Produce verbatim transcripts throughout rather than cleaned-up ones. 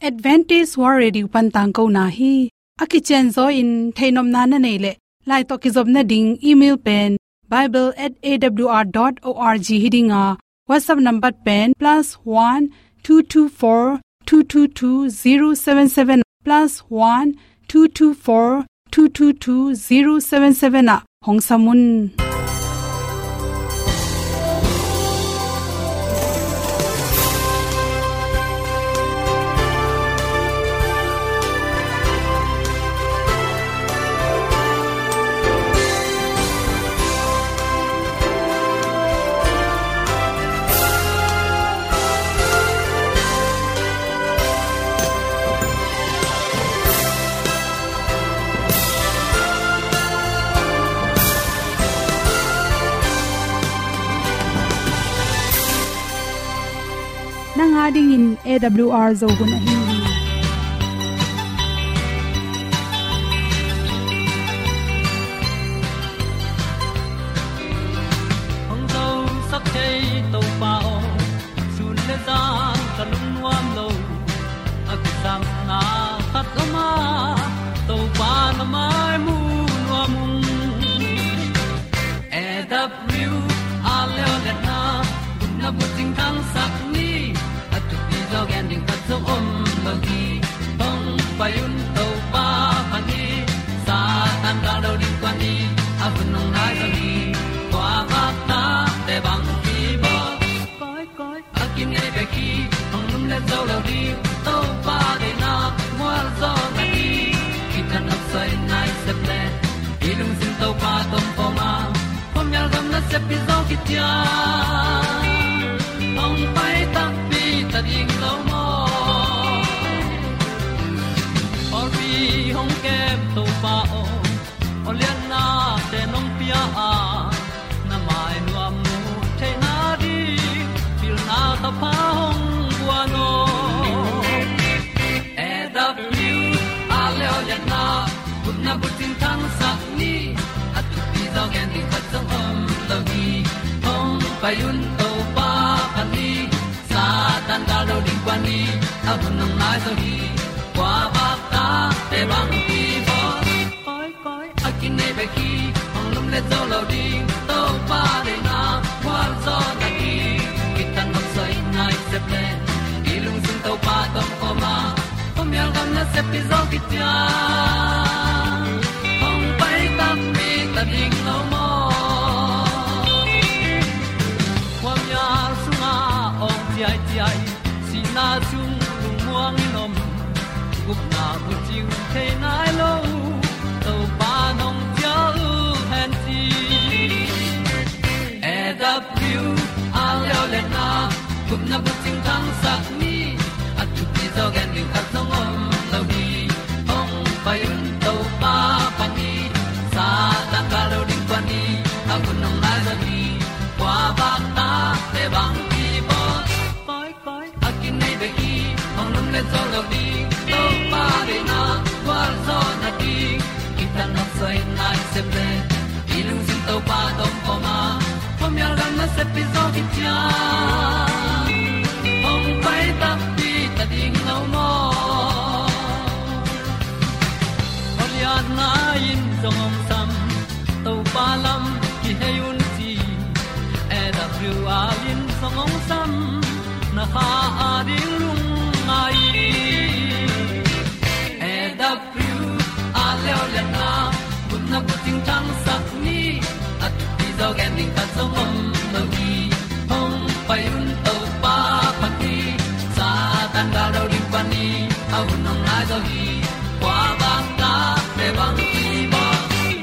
Adventist World Radio pan tangkona hi. A kicianzaw in theihnopna na neih leh, lai tawh kizopna ding email pen bible at A W R dot org hi ding a, WhatsApp number pen plus one two two four two two two zero seven seven, plus one two two four two two two zero seven seven ah hong sam un. Nang a dingin A W R Zo hun ahi hi. Hong zosak thei Topa aw, sun le zan ka lungnuam lo. A kisapna khat om a, Topa na mai mu nuam ung. A W R Zo hun a, gupna bucing thangsak ni. A thupi zaw gen ding khat zong om lo hi. Hong pai un Topa pha ni. Satan gal do ding kua ni. A hun hong nai zaw hi. Kua bak ta te bang ki bawl. Koi, koi, a kinei bek hi, hong lumlet zo lo ding. Topa deihna mual zaw na hi. Kitang a soi nai sep le, i lungsim Topa tawh om a, khuamial gam nasep hi zaw kician. Hong pai takpi ta ding lo maw? Pawlpi hong kem Topa aw, aw lianna te nong pia a, na mai nuam mu theihna ding, pilna thapha hong guan aw. A W R Zo hun a, gupna bucing thangsak ni. A thupi zaw gen ding khat zong om lo hi. Hong pai un Topa pha ni. Satan gal do ding kua ni. A hun hong nai zaw hi. Kua bak ta te bang ki bawl. Koi, koi, a kinei bek hi, hong lumlet zo lo ding. Topa deihna mual zaw na hi. Kitang a soi nai sep le, i lungsim Topa tawh om a, khuamial gam nasep hi zaw kician. Hong pai takpi ta ding lo maw? Khuamial sungah awng ciaiciai, sihna sung lungmuang in om, gupna bucing thei nai lo, Topa nong cial hen ci. A W R Zo hun a, gupna bucing thangsak ni. A thupi zaw gen ding khat zong om lo hi. Hong pai un Topa pha ni. Satan gal do ding kua ni. A hun hong nai zaw hi. Kua bak ta te bang ki bawl. Koi, koi, a kinei bek hi, hong lumlet zo lo ding. Topa deihna gualzawhna ding, kitang a soi nai sep le, i lungsim Topa tawh om a, khuamial gam nasep hi zaw kician. Hong pai takpi ta ding lo maw? Khualiatna in zong hong sam, Topa lam kihei un ci. A W R in zong hong sam, na kha a ding lungngai. A W R Zo hun a, gupna bucing thangsak ni. A thupi zaw gen ding khat zong om lo hi. Hong pai un Topa pha ni. Satan gal do ding pha ni. A hun hong nai zaw hi. Kua bang ta te bang ki bawl.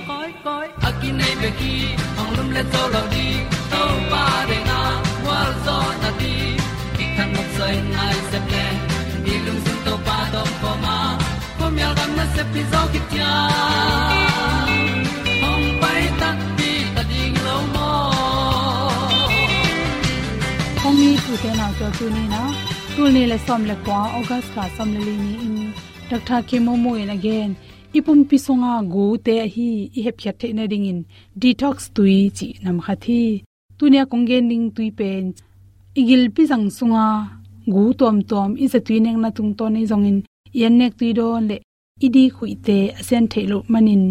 Koi, koi, a kinei bek hi, hong lumlet zo lo ding. Topa deihna gualzawhna ding, kitang a soi nai sep le, i lungsim Topa tawh om a, khuamial gam nasep hi zaw kician. Hong pai takpi ta ding lo maw? Hong it u te nau, tua tuni-in a, tul nih le sawm le kua, August kha sawm le li ni-in, Doctor Khe Momo in a gen, i pumpi sunga gute ahi i hepkhiat theih nadingin detox tui cih nam khat hi. Tuni-a kong gen ding tui pen i gilpi zang sunga gu tuamtuam i zatui nekna tungtawn ahi zongin i annek tui dawn le i dik huihte a sian theih loh manin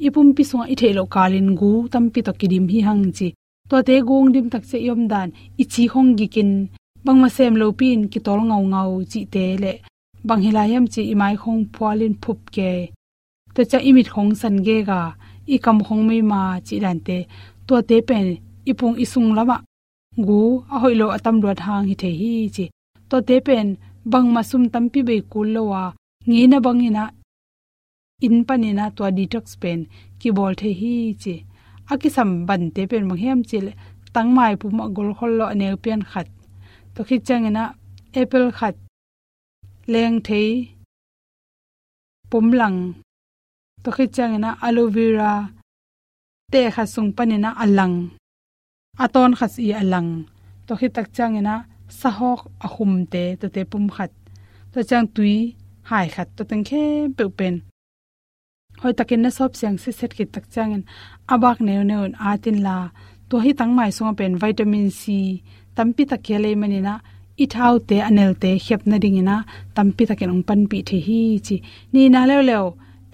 i pumpi sungah i theih loh kalin gu tampi tawh kidim hi hang ci. Tuate gu hong dim tak ciang i omdan, i ci hong gikin, bangmah sem lopi-in kitawl ngaungau cihte le bang hi lai hiam ci i mai hong phualin phup kei. Tua ciang i mit hong san gega, i kam hong meima cih dante, tuate pen i pung i sung lamah gu a hoih lo a tam luat hang hi thei hi ci. Tuate pen bangmah sum tampi bei kul lo a, ngeina bangin ah inn panin ah tua detox pen kibawl thei hi ci. A kisam bante pen bang hiam cih leh tangmai pum a golkhol lo a neu pian khat, tua khit ciangin ah apple khat, lengthei pum lang, tua khit ciangin ah aloe vera teh khat sung panin ah a lang, a tawn khat i a lang, tua khit tak ciangin ah sahawk a humte, tuate pum khat, tua ciang tui hai khat, tua teng khempeuh pen hoih takin na sawp siang sitset khit tak ciangin a bak neuneu in at inla, tua hi tangmai sungah pen vitamin C tampi tak kia lei manin ah i thaute a nelte khiap nadingin ah tampi takin hong panpih thei hi ci. Nihna leuleu,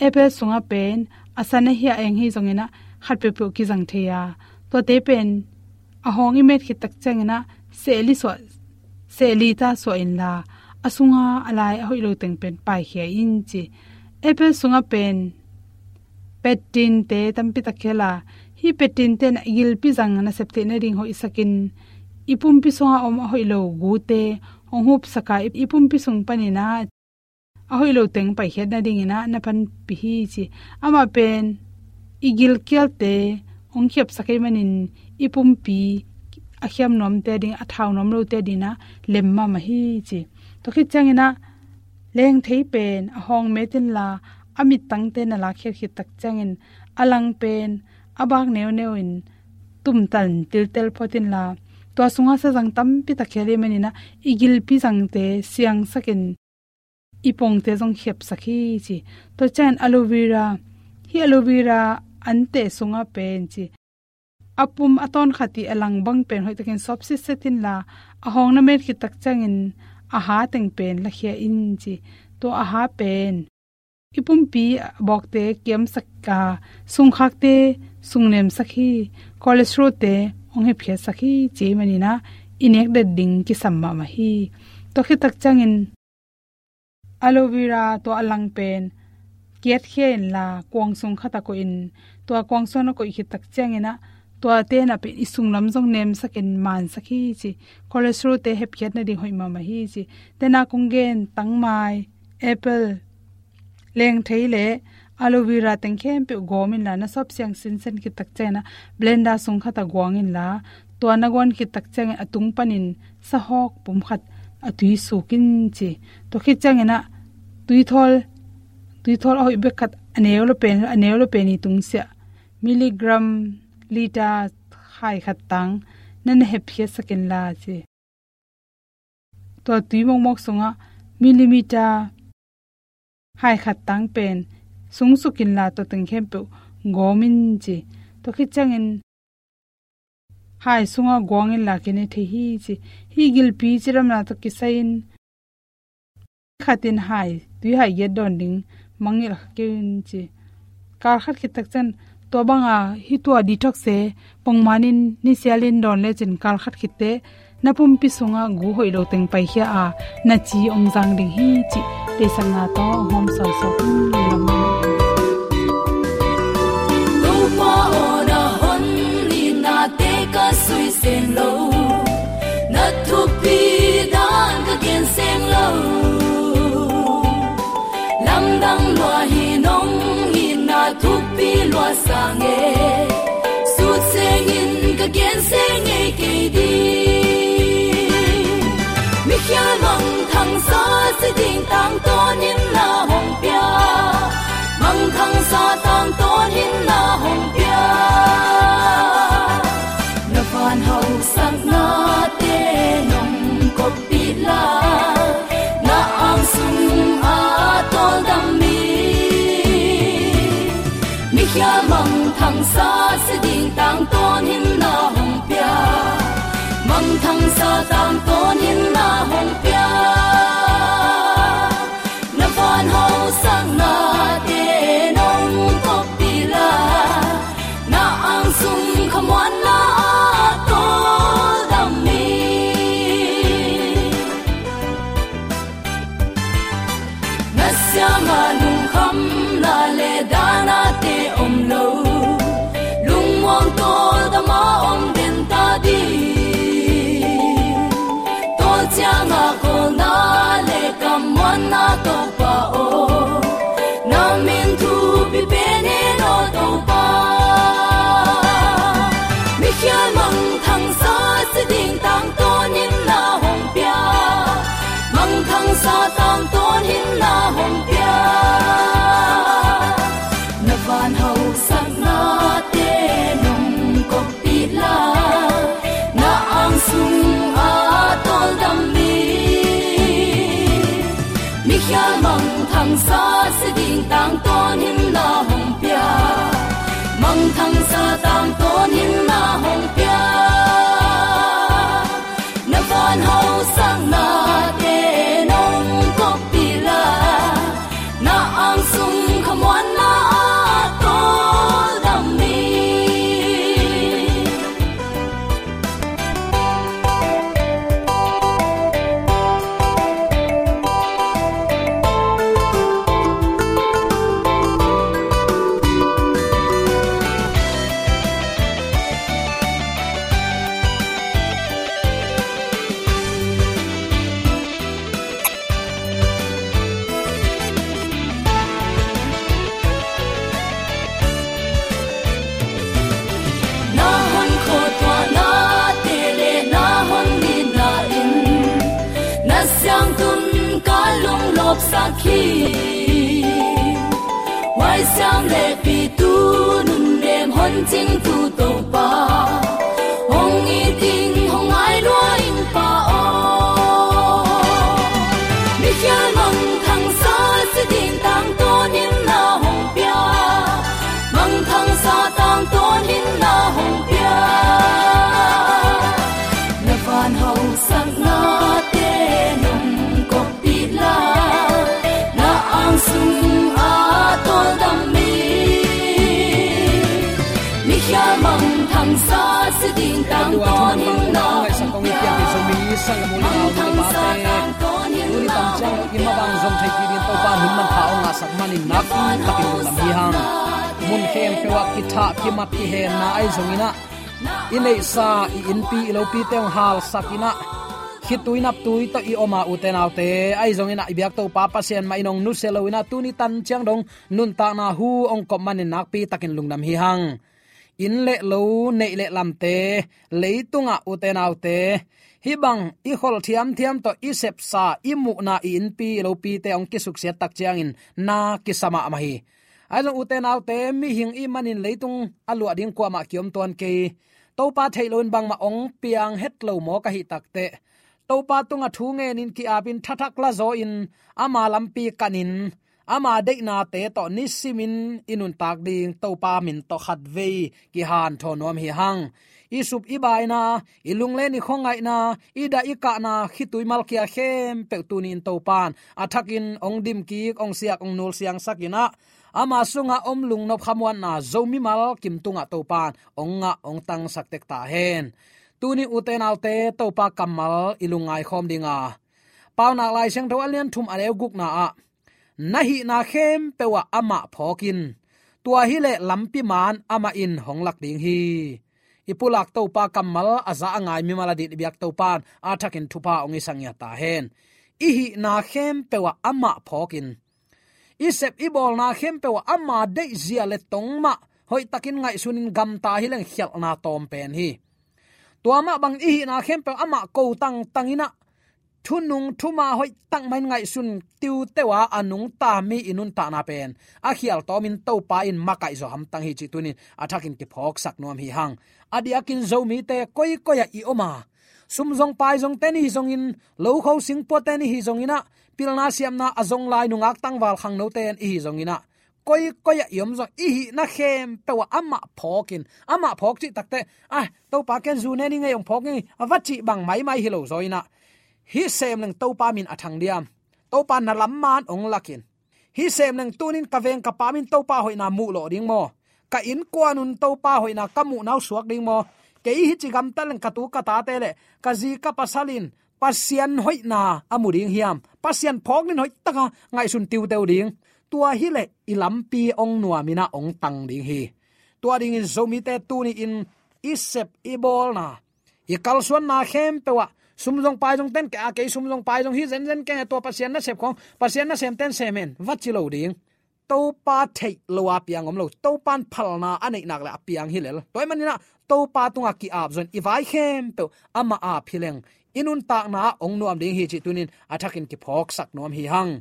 apple sungah pen a san a hia eng hi zongin ah khat peuhpeuh kizang thei a, tuate pen a hawng i met khit tak ciangin ah sehli suah, sehli ta suah inla, a sunga a lai a hoih lo teng pen paikhia in ci. Apple sungah pen pectin te tampi tak kia la, hi pectin ten ah i gilpi zang nasep theih nading hoihsakin, i pumpi sunga om a hoih lo gute hong hupsak a, i pumpi sung panin ah a hoih lo teng paikhiat nadingin ah na panpih hi ci. Amah pen i gilkialte hong khiapsak ahih manin i pumpi a khiam nuamte ading, a thau nuam lote adingin ah lem mahmah hi ci. Tua khit ciangin ah lengthei pen a hawng met inla, a mittangte na lakkhiat khit tak ciangin a lang pen a bak neuneu in tumtan tiltel phot inla, tua sungah sazang tampi tak kia lei manin ah i gilpi zangte siangsakin i pongte zong khiapsak hi ci. Tua ciang aloe vera, hi aloe vera anteh sungah pen ci, a pum a tawn khat i a lang bang pen hoih takin sawp sitset inla, a hawng na met khit tak ciangin a ha teng pen lakhia in ci. Tua a ha pen i pumpi a bawkte kiamsak a, sungkhakte sungnemsak hi, cholesterol-te hong hepkhiatsak hi ci ahih manin ah i nek det ding kisam mahmah hi. Tua khit tak ciangin aloe vera tua a lang pen kiatkhia inla kuang sung khat ah koih in, tua kuang sung ah koih khit tak ciangin ah tuate na pen i sunglam zong nemsakin mansak hi ci. Cholesterol-te hepkhiat nading hoih mahmah hi ci. Tena kong gen tangmai, apple, lengthei le aloe vera teng khempeuh gawm inla, na sawp siang sinsen khit tak ciangin ah blender sung khat ah guang inla, tua na guan khit tak ciangin a tung panin sahawk pum khat a tui suk in ci. Tua khit ciangin ah tuithawl, tuithawl a hoih bek khat, a neu lo pen, a neu lo pen i tungsiah milligram liter hai khat tang na na hepkhiatsak inla ci. Tua tui mawkmawk sungah millimeter hai khat tang pen sungsuk inla, tua teng khempeuh gawm in ci. Tua khit ciangin hai sungah guang inla kine thei hi ci. Hi gilpi cidamna tawh kisai in khat in hai, tui hai giat dawn ding mangngilh kha kei un ci. Kal khat khit tak ciang tua banga hi tua detox-te pongmanin nisialin dawn lecin kal khat khit teh na pumpi sungah gu hoih lo teng paikhia a, na ci hong zang ding hi cih deihsakna tawh hong hawm sawisawk in. Topa aw, na hon itnate ka sui seng lo, na thupi dan ka gen seng lo. Lamdang lua hi nong itna thupi lua sang e, sut sengin ka gen seng ngei kei ding. Mikhial mangthangsa si ding tangtawnin na hong pia, mangthangsa tangtawnin na hong pia. Na van hausaknate nong koppih la, na ang sung a tawldam mi. Mikhial mangthangsa si ding tangtawnin na hong pia, mangthangsa tangtawnin na hong pia. Ciangah lungkhamna le danate om lo, lungmuang tawldama om den ta ding. Tua ciangah kawlna le kammuanna Topa aw, na min thupi pen hen aw Topa. Mikhial mangthangsa si ding tangtawn in na hong pia, mangthangsa tangtawn in na hong pia. Na van hausaknate nong koppih la, na ang sungah tawldam ni. Mikhial mangthangsa si ding tangtawn in na hong pia, mangthangsa tangtawn in na hong pia. Na van hausaknate nong koppih la, na ang sung khamuanna ah tawldam ni. Na hong khuatuahnate le na hong nitna in na siangtun ka lunglawpsak hi. Huaisiam le pitu nunnem hon cingtu Topa, hong it ing hong ngai lua ing Pa aw. Mikhial mangthangsa si ding tangtawn in na hong pia, mangthangsa tangtawn in na hong pia. Na van hausaknate nong koppih la, na ang sungah tawldam ni. Mikhial mangthangsa si ding tangtawn in na hong pia, mangthangsa tangtawn in na hong pia. Tuni tan ciang lo i mabang zong thei kik ding Topa in hun manpha hong ngahsak manin nakpi takin lungdam hi hang. Mun khempeuh ah kithah kimat kihenna ahi zongin ah, i neihsa i innpi i lopite hong halsak in ah, khitui naptui tawh i om a, ute naute, ahi zongin ah i biak Topa Pasian mah in hong nusia lo in ah, tuni tan ciang dong nuntakna hu hong kop manin nakpi takin lungdam hi hang. Inn le lo, neih le lamte, leitungah ute naute, hih bang i khol thiamthiam tawh i sepsa, i muhna, i innpi i lopite hong kisuksiat tak ciangin na kisa mahmah hi. Ahi zong ute naute, mihing i hih manin leitung a luah ding kuamah kiom tuan kei. Topa theih loin bangmah hong piang het lo mawk ahih takteh, Topa tungah thu ngenin ki-apin thathak lazaw-in ama lampi kanin, ama deihnate tawh nisimin i nuntak ding Topa min tawh khatvei kihanthawn nuam hi hang. I sup i baina, i lunglen i khuangaihna, i dah i kahna, khitui malkia khempeuh tuni-in Topa in a thakin hong dimkik, hong siak, hong nulsiangsak in ah, ama sungah om lungnop khamuanna Zomi mimal kim tungah Topa in hong ngah, hong tangsak tek ta hen. Tuni ute naute, Topa kammal i lungngai khawm ding a, Paunak Lai Siangtho a lian thum a neu gukna ah, na hihna khempeuh ah amah phawk in, tua hileh lampi man amah in hong lak ding hi. I pulak Topa kammal a za a ngai mimal adingin i biak Topa in a thakin thupha hong hisak ngiat ta hen. I hihna khempeuh ah amah phawk in, i sep i bawlna khempeuh ah ama deihzia le tong mah hoihtakin ngaihsunin gamta hileng khialhna tawm pen hi. Tua mah bang i hihna khempeuh amah ko tangtang in ah, thunung thuma hoihtak mah in ngaihsun tiuteu a, a nungta mi i nuntakna pen a khial tawmin Topa in makaih zaw hamtang hi cih tuni-in a thakin kiphawksak nuam hi hang. A diakin Zomite koikoi ah i om a, sum zong pai zongte ni hi zongin, lokho singpuate ni hi zongin ah, pilna siamna a zong lai nungak tangval khangnote i hi zongin ah, koikoi ah i om zong i hihna khempeuh ah amah phawk in, amah phawk cih takteh, ah, Topa ken zu ne ning ei, hong phawk ning ei, a va cih bang maimai hi lo zaw in ah, hih sem leng Topa min a thang diam? Topa na lam man hong lak in. Hih sem leng tuni-in ka veng ka pam in Topa hoihna muh lawh ding maw? Ka innkuan un Topa hoihna ka muhna uh suak ding maw? Kei hih ci gamtat leng ka tu ka tate le ka zi ka pasal in Pasian hoihna a mu ding hiam? Pasian phawk nin hoih taka ngaihsun tiuteu ding. Tua hileh i lampi hong nuam in ah hong tang ding hi. Tua dingin Zomite tuni-in i sep i bawlna, i kalsuanna khempeuh ah sum zong pai zong ten kei a, kei sum zong pai zong hi zenzen kei a, tua Pasian nasep khawng, Pasian nasemten sem hen va ci lo ding. Topa theih lo a piang om lo. Topan phalna a neih nak leh a piang hi lel. Tua ahih manin ah Topa tungah ki-ap zong in i vai khempeuh amah ap hi leng i nuntakna ah hong nuam ding hi cih tuni-in a thakin kiphawksak nuam hi hang.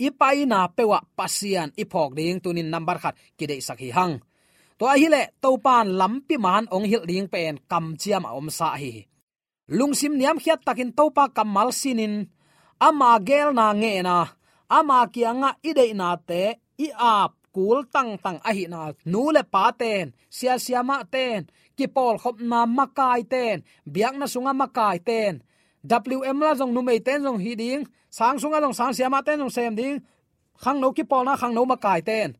I paina peuh ah Pasian i phawk ding tuni-in nambat khat kideihsak hi hang. Tua ahih leh Topan lampi man hong hilh ding pen kamciam a omsa ahi hi. Lungsim niamkhiat takin Topa kammal sinin ama geelna ngen a, ama kiangah i deihnate i ap kul tangtang ahihna, nu le paten, sia siamahten, kipawlkhopna makaiten, biakna sungah makaiten, W M la zong numeiten zong hi ding, sang sungah zong sang siamahten zong sem ding, khangno kipawlna khangno makaiten,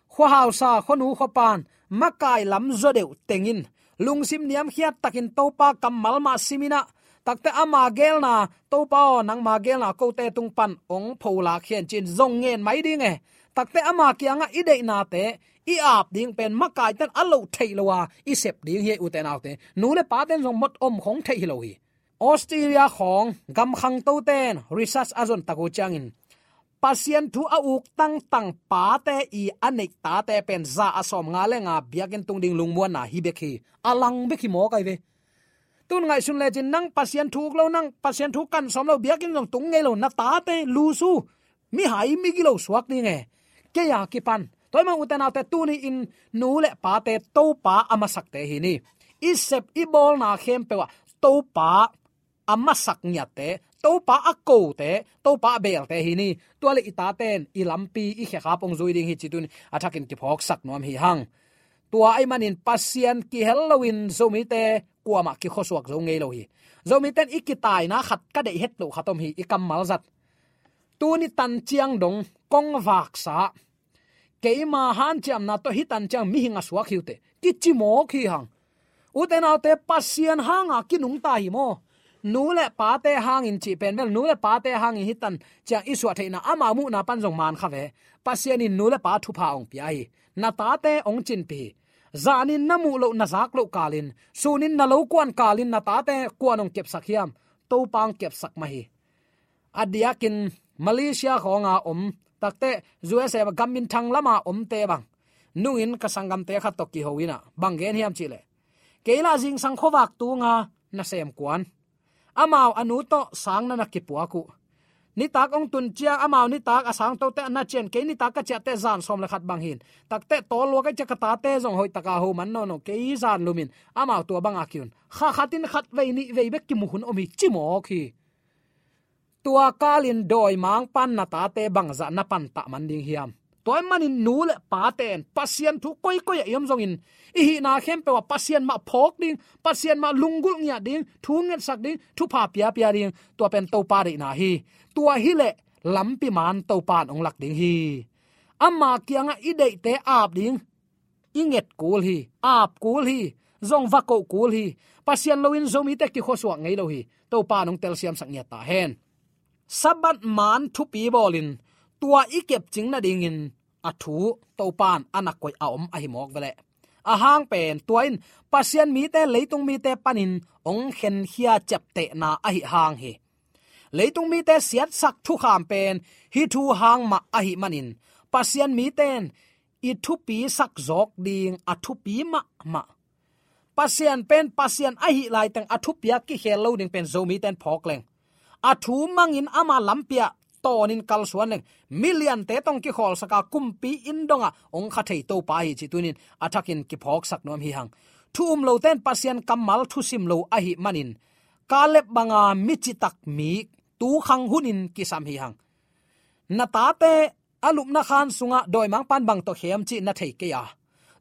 khuahausa khuanu khuapan makai lam zaw deuh tengin lungsim niamkhiat takin Topa kammal mah simin ah, takte ama geelna, Topa aw, nangma geelna kote tung pan hong pholak hen ci-in zong ngen mai ding e. Takte ama kiangah i deihnate i ap ding pen makaiten a loh theih lo a i sep ding hi, ute naute. Nu le paten zong mot om khong theih hi lo hi. Australia khawng gam khangtoten research a zon tak uh ciangin Pasian thu a uk tangtang pate i a neih tate pen za a sawmnga le nga biakinn tung ding lungmuanna hi bek hi. A lang bek hi mawk ahi ve. Tun ngaihsun lecin nang Pasian thu uk lo, nang Pasian thu kan sawm lo, biakinn zong tung ngei lo na tate lusu, mihai migilo suak ding e. Kei a kipan. Tua ahih manin ute naute, tuni-in nu le pate Topa a masakte hi ni. I sep i bawlna khempeuh ah Topa a masak ngiatte, Topa a kote, Topa a beelte hi ni. Tua leh i taten i lampi i khekhap hong zui ding hi cih tuni-in a thakin kiphawksak nuam hi hang. Tua ahih manin Pasian kihel loin Zomite kuamah kikhuasuak zo ngei lo hi. Zomite in i kitaina khat ka deih het loh khat om hi, i kammal zat. Tuni tan ciang dong kong vaksa, keima hanciamna tawh hih tan ciang mihing a suak hi uh teh, kici mawk hi hang. Ute naute, Pasian hanga kinungta hi maw? Nu le pate hangin cih pen bel, nu le pate hangin hih tan ciang i suah theihna, amau muhna pan zong man kha ve. Pasian in nu le pa thupha hong pia hi. Na tate hong cinpih hi. Zanin na muh loh na zak loh kalin, sunin na lo kuan kalin na tate kuan hong kepsak hiam? Topa hong kepsak mah hi. A diakin Malaysia khawnga om, takte U S A gam minthang lama omte bang nungin ka sanggamte khat tawh kiho in ah bang gen hiam cih leh, kei lah zingsang khuavak tunga nasem kuan, amau a nu tawh sang na na kipuak uh. Nitak hong tun ciang amau nitak a sangtote a na cian, kei nitak ka ciahte zan sawm le khat bang hi in, takte tawlua ka hih ciang ka tate zong hoih taka ho man nawn lo, kei zan lumin amau tua banga ki-un. Kha khatin khat vei nih vei bek kimu hun om hi, ci mawk hi. Tua kalin dawimangpan na tate bangzah na pantah man ding hiam? Tua ahih manin nu le pate in Pasian thu koikoi ah i om zongin, i hihna khempeuh ah Pasian mah phawk ding, Pasian mah lunggulh ngiat ding, thu ngetsak ding, thupha piapia ding, tua pen Topa deihna hi. Tua hileh lampi man Topa in hong lak ding hi. Ama kiangah i deihte ap ding, i nget kul hi, ap kul hi, zong va koh kul hi. Pasian loin Zomite kikhuasuak ngei lo hi. Topa in hong telsiamsak ngiat ta hen. Sabbath man thupi bawlin tua i kepcing nadingin a thu Topa in a na koih a om ahi mawk veleh. A hang pen tua in Pasian mite leitung mite panin hong khenkhia ciaptehna ahi hang hi. Leitung mite siatsak thukham pen hih thu hang mah ahi manin Pasian mite in i thupi sak zawk ding a thupi mahmah. Pasian pen Pasian ahi laiteng a thupi a kikhel lo ding pen Zomite in phawk leng, a thu mangin ama lampi ah tawnin kalsuan leng, miliante tawh hong kikhawlsak a kumpi inn dongah hong kha thei Topa hi cih tuni-in a thakin kiphawksak nuam hi hang. Thu um lote in Pasian kammal thusim lo ahi manin, Kaleb banga mi citak mi tukhang hunin kisam hi hang. Na tate a lupna khan sungah dawimangpan bang tawh khem cih na thei kei a,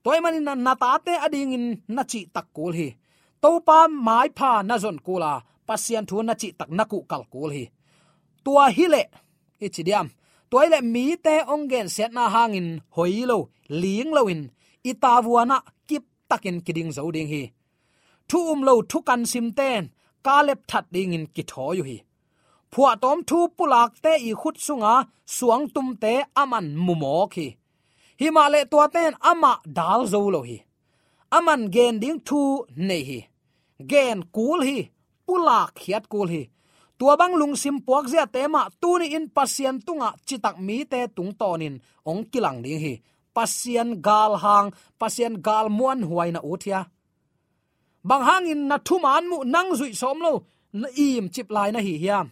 tua ahih manin na, na tate adingin na cihtak kul hi. Topa maipha na zon kul a, Pasian thu na cihtak na kuhkal kul hi. Tua hileh i ci diam, tua hileh mite hong gensiatna hangin hoi lo, ling loin i tavuan ah kiptakin kiding zo ding hi. Thu um lo thukan simte in Kaleb that dingin kithawi uh hi. Phuahtawm thu pulakte i khut sunga suangtumte aman mumawk hi. Himahleh tuate in amah dal zo lo hi. Aman gen ding thu nei hi. Gen kul hi. Pulak khiat kul hi. Tua bang lungsim puakziate mah tuni-in Pasian tungah citak mite tungtawnin hong kilang ding hi. Pasian galhang, Pasian galmuan huai na ut hia? Bang hangin na thuman muh nang zuih sawm lo, na imcip lai na hi hiam?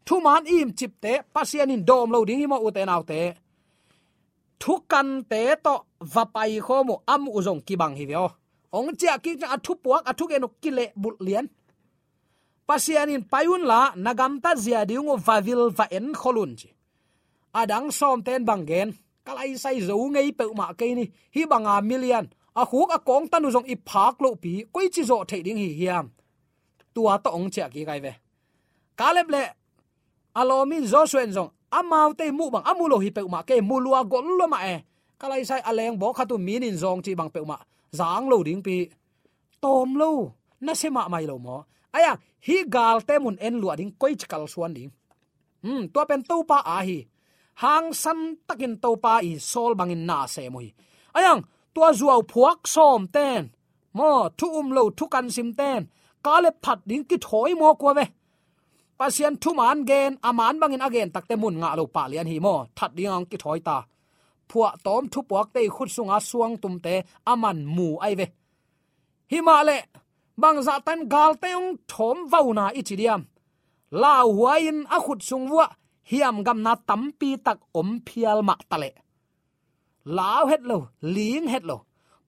Thuman imcipte Pasian in dawm lo ding hi maw, ute naute? Thukante tawh va paikhawm uh a muh zong kibang hi ve aw. Hong ciah kik ciang a thupuak a thugen uh kilehbulh lian. Pasian in pai unla na gamtat zia ding uh va vil va enkhol un ci. A dang sawmten bang gen, ka laisai zo ngei peuhmah kei ni, hih banga milian a khuk a kawngtan uh zong i phak lohpi koici zawh theih ding hi hiam? Tua tawh hong ciah kik ai ve. Kaleb le a lawm in Joshua in zong amaute muh bang a mu lo hi peuhmah kei, mu lua gol lua mah e. Ka laisai a leng bawk khat uh min in zawng cih bang peuhmah zang lo dingpi. Tawm lo, nasia mahmah hi lo maw? Aiang, hih galte mun en luah ding, koici kalsuan ding? Hmm, tua pen Topa a hi. Hangsan takin Topa i sawl bangin na sem uh hi. Aiang, tua zuau phuak sawmten maw, thu um lo, thu kan simten Kaleb phat ding kithawi maw kua ve? Pasian thuman gen, a man bangin a gen takte mun ngah lo pah lian hi maw? That ding ang kithawi ta. Phuahtawm thupuakte i khut sunga suangtumte aman mu ai ve. Himahleh bangzah tan galte hong thawm vauna i ci diam? Lauhuai-in a khut sung vuah hiamgamna tampi tak om phial mah taleh, lau het lo, ling het lo.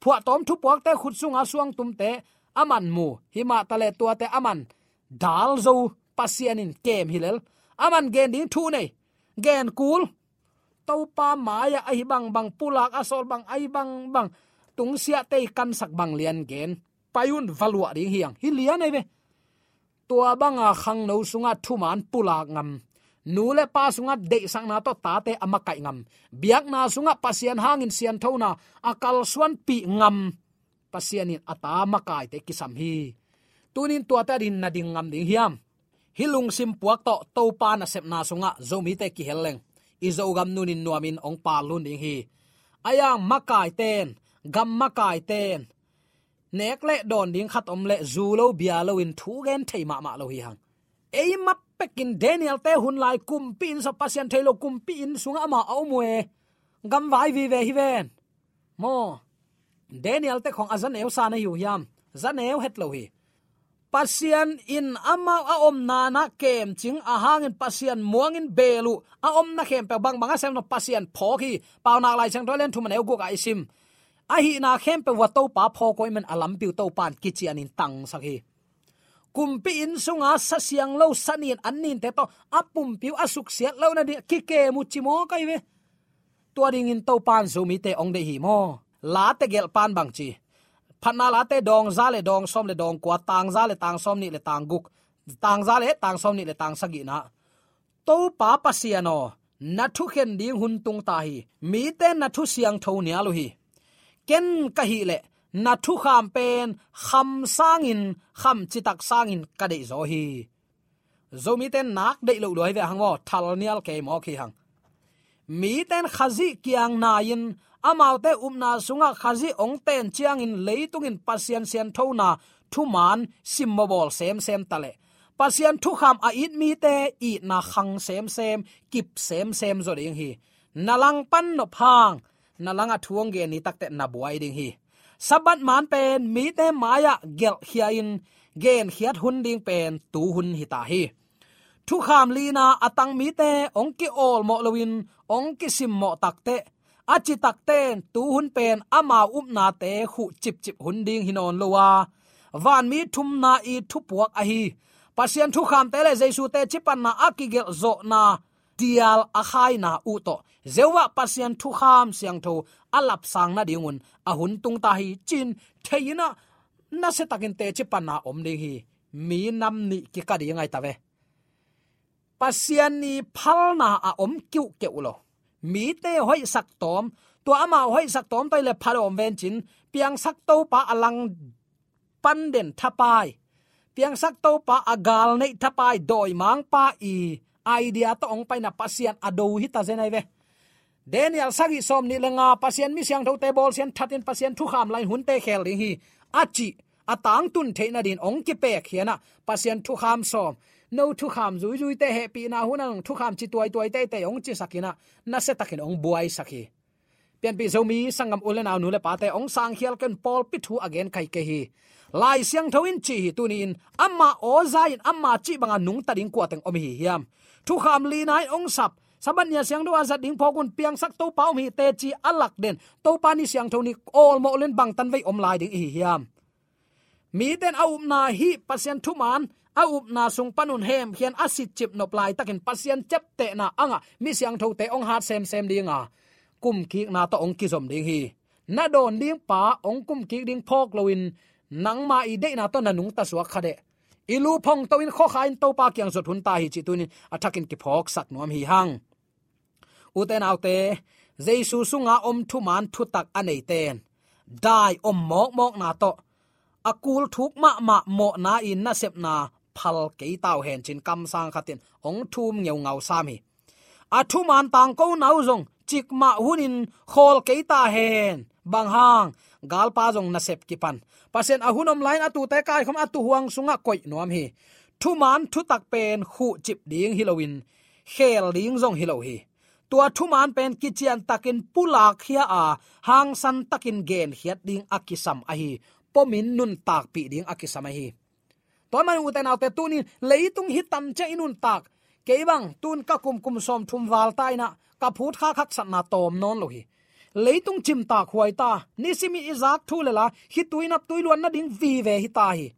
Phuahtawm thupuakte khut sunga suangtumte aman mu, himah taleh tuate aman dal zo, Pasian in kem hi lel. Aman gen ding thu nei, gen kul. Topa mai-ah ahi bangbang, pulak a sawl bang ahi bangbang, tungsiahte i kansak bang lian gen. Pai un, va luah ding hi ang, hi lian ai ve. Tua banga khangno sungah thuman pulak ngam, nu le pa sungah deihsakna tawh tate a makaih ngam, biakna sungah Pasian hangin sianthona a kalsuanpih ngam, Pasian in a ta makaite kisam hi. Tunin tuate adingin na ding ngam ding hiam? Hih lungsim puak tawh Topa nasepna sungah Zomite kihel leng, i Zogam nunin nuamin hong pallun ding hi. Aiang, makaiten, gam makaiten nek le dawn ding khat om leh zu lo bia loin thu gen thei mahmah lo hi hang. Ei mah pekin Daniel-te hun lai kumpi inn sungah, Pasian thei lo kumpi inn sungah amah a om uh e. Gamvai vive hi ven. Maw, Daniel-te khong a zaneu sa na hi uh hiam? Zaneu het lo hi. Pasian in amau a omna-ah kemcing a hangin Pasian muangin beel uh, a omna khempeuh bangbang a sem lo Pasian phawk hi. Paunak Lai Siangtho a lian thum a neu guk ah i sim. Ahihna khempeuh uah Topa phawk uh ahih manin a lampi uh Topa in kicianin tangsak hi. Kumpi inn sunga sa siang lo, sa nin, an ninte tawh a pumpi uh a suksiat lohna ding kikem uh ci mawk ai ve. Tua dingin Topa in Zomite hong deih hi maw? Late gelh pan bang ci? Phatna Late dawng za le dawng sawm le dawng kua, tang za le tang sawm nih le tang guk, tang za le tang sawm nih le tang sagihna. Topa Pasian aw, na thukhen ding hun tung ta hi. Mite na thu siangtho nial uh hi. Ken ka hih leh na thukham pen kham sangin, kham citak sangin ka deihzaw hi. Zomite in nak deih loh lua hi ve hang maw, thal nial kei mawk hi hang. Mite in Khazih kiang nai-in, amaute upna sungah Khazih hong ten ciangin leitung in Pasian sianthona thuman simmawhbawl semsem taleh, Pasian thukham a it mite itna khang semsem, kip semsem zaw ding hi. Na langpan nop hang, na langah thu hong gen ni takteh na buai ding hi. Sabbath man pen mite mai-ah gelhkhia-in genkhiat hun ding pen tu hun hi ta hi. Thukham lina a tang mite hong ki-awlmawh loin hong kisimmawh takteh, a ci takteh tu hun pen amau upnate khuh cipcip hun ding hi nawn lo a, vanmi thumna i thupuak ahi Pasian thukhamte le Jesu teci panna a kigelh zawhna dial a khaina uh tawh Jehovah Pasian thukham siangtho a lapsang nadingun a hun tung ta hi, ci-in thei-in ah, nasiatakin teci panna om ding hi. Mi nam nih kika ding ai ta ve. Pasian ni phalna a om kiuhkeuh lo. Mite hoihsak tawm, tua amau hoihsak tawm tawh i le phat om vencin, piangsak Topa a langpan den thapai, piangsak Topa a galneih thapai, dawimangpa i idea tawh hong paina Pasian a do hi ta zen ai ve. Daniel sagih sawm nih le nga, Pasian mi siangthote bawlsiat thatin Pasian thukham lain hunte khel ding hi, a cih a tangtun theih nadin hong kipek hi a, Pasian thukham sawm, no thukham zuizuite hehpihna hun a nong thukham ci tuaituaite te hong cisak in a, nasiatakin hong buaisak hi. Pianpih Zomi sanggam u le nau, nu le pate, hong sangkhial ken pawlpi thu a gen kei kei hi. Lai Siangtho in ci hi, tuni-in ama aw za-in ama cih banga nungta ding kua teng om hi hiam? Thukham lina in hong sap, Sabbath ni a siangtho a zat ding phawk un, piangsak Topa om hi teci a lak den, Topa ni siangtho ni awlmawh len bangtan vei om lai ding i hi hiam? Mite in a upna hih Pasian thuman a upna sung panun hemkhian a sitcip nop laitakin Pasian ciaptehna a ngah mi siangthote hong hat semsem dinga kumkikna tawh hong kizom ding hi. Na dawn ding pa hong kumkik ding phawk loin nangma i deihna tawh na nungta suak kha deh. I lu phongto in khuakha in Topa kiang zot hun ta hi, cih tuni-in a thakin kiphawksak nuam hi hang. Ute naute, Jesu sunga om thuman thutak a neite in dai om mawkmawkna tawh a kul thuk mahmah mawhna i nasepna phal kei ta uh hen, ci-in kamsang khat in hong thum ngeungau sam hi. A thuman tangkona uh zong cikmah hunin khawl kei ta hen. Bang hang? Galpa zong nasep kipan, Pasian a hun om lai-in a tuute kaikhawm a tuuhuang sungah koih nuam hi. Thuman thutak pen khuhcip ding hi loin khel ding zong hi lo hi. Tua thuman pen kiciantakin pulakkhia a, hangsantakin genkhiat ding a kisam ahi, pomin nuntakpih ding a kisam ahi. Tua ahih manin ute naute, tuni-in leitung hih tan ciang i nuntak, kei bang tun ka kum, kum sawmthum val ta in a, ka phutkhak haksatna tawm nawn lo hi. Leitung cimtak huai ta, nisim i zak thu le la, khitui nap tui luan nading vive hi ta hi.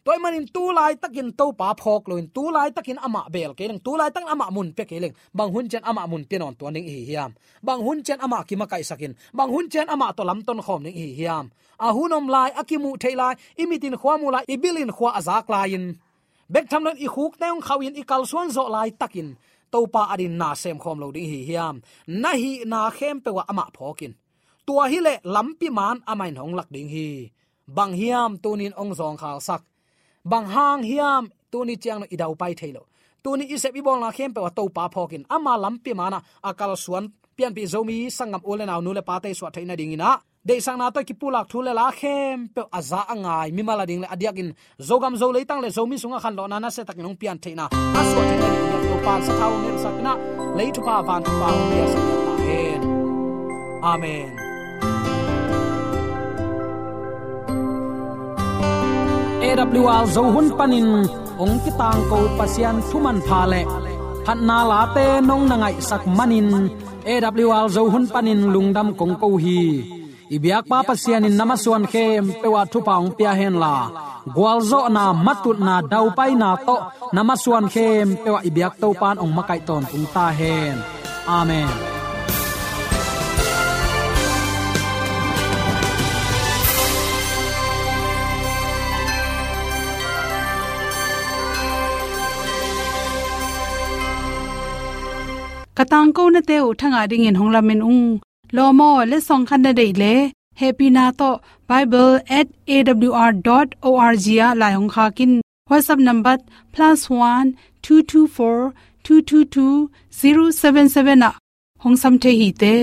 Tua ahih manin tu laitakin Topa phawk loin, tu laitakin amah beel kei leng, tu laitakin amah mun pia kei leng, bang hun ciang amah mun pia nawn tuan ding i hi hiam? Bang hun ciang amah kimakaihsakin, bang hun ciang amah tawh lamton khawm ding i hi hiam? A hun om lai, a kimuh theih lai, i mitin khua mu lai, i bilin khua a zak lai-in, bek tham loin i khukte hong khauhin i kalsuan zawh laitakin Topa adingin na semkhawm lo ding i hi hiam? Na hihna khempeuh ah amah phawkin. Tua hileh lampi man amah in hong lak ding hi. Bang hiam tuni-in hong zawngkhalsak? Bang hang hiam tuni ciang lo i daupai thei lo? Tuni i sep i bawlna khempeuh ah Topa phawkin, ama lampi man ah a kalsuan Pianpih Zomi sanggam u le nau, nu le pate suah theih nadingin ah, deihsakna tawh kipulak thu le la khempeuh a za a ngai mimal ading le a diakin Zogam Zo leitang le Zomi sungah khanlawhna nasiatakin hong pian theihna a suah theih nadingin Topa in sathau hong nilhsak in ah, lei thupha van thupha hong piasak ta hen. Amen. A W R Zo hun panin hong kitangko Pasian thu manpha le phatna late nong na ngaihsak manin A W R Zo hun panin lungdam kong ko hi. I biakpa Pasian in na masuan khempeuh ah thupha hong pia henla, gualzawhna, matutna, daupaina tawh na masuan khempeuh ah i biak Topa in hong makaih tawntung ta hen. Amen. Ka tangkonate uh thangah dingin hong lamen ung. Lawm aw, letsong khat na deih leh, hehpihna tawh bible at A W R dot O R G ah lai hong khak in. WhatsApp number plus one two two four two two two zero seven seven ah hong sam thei hi te.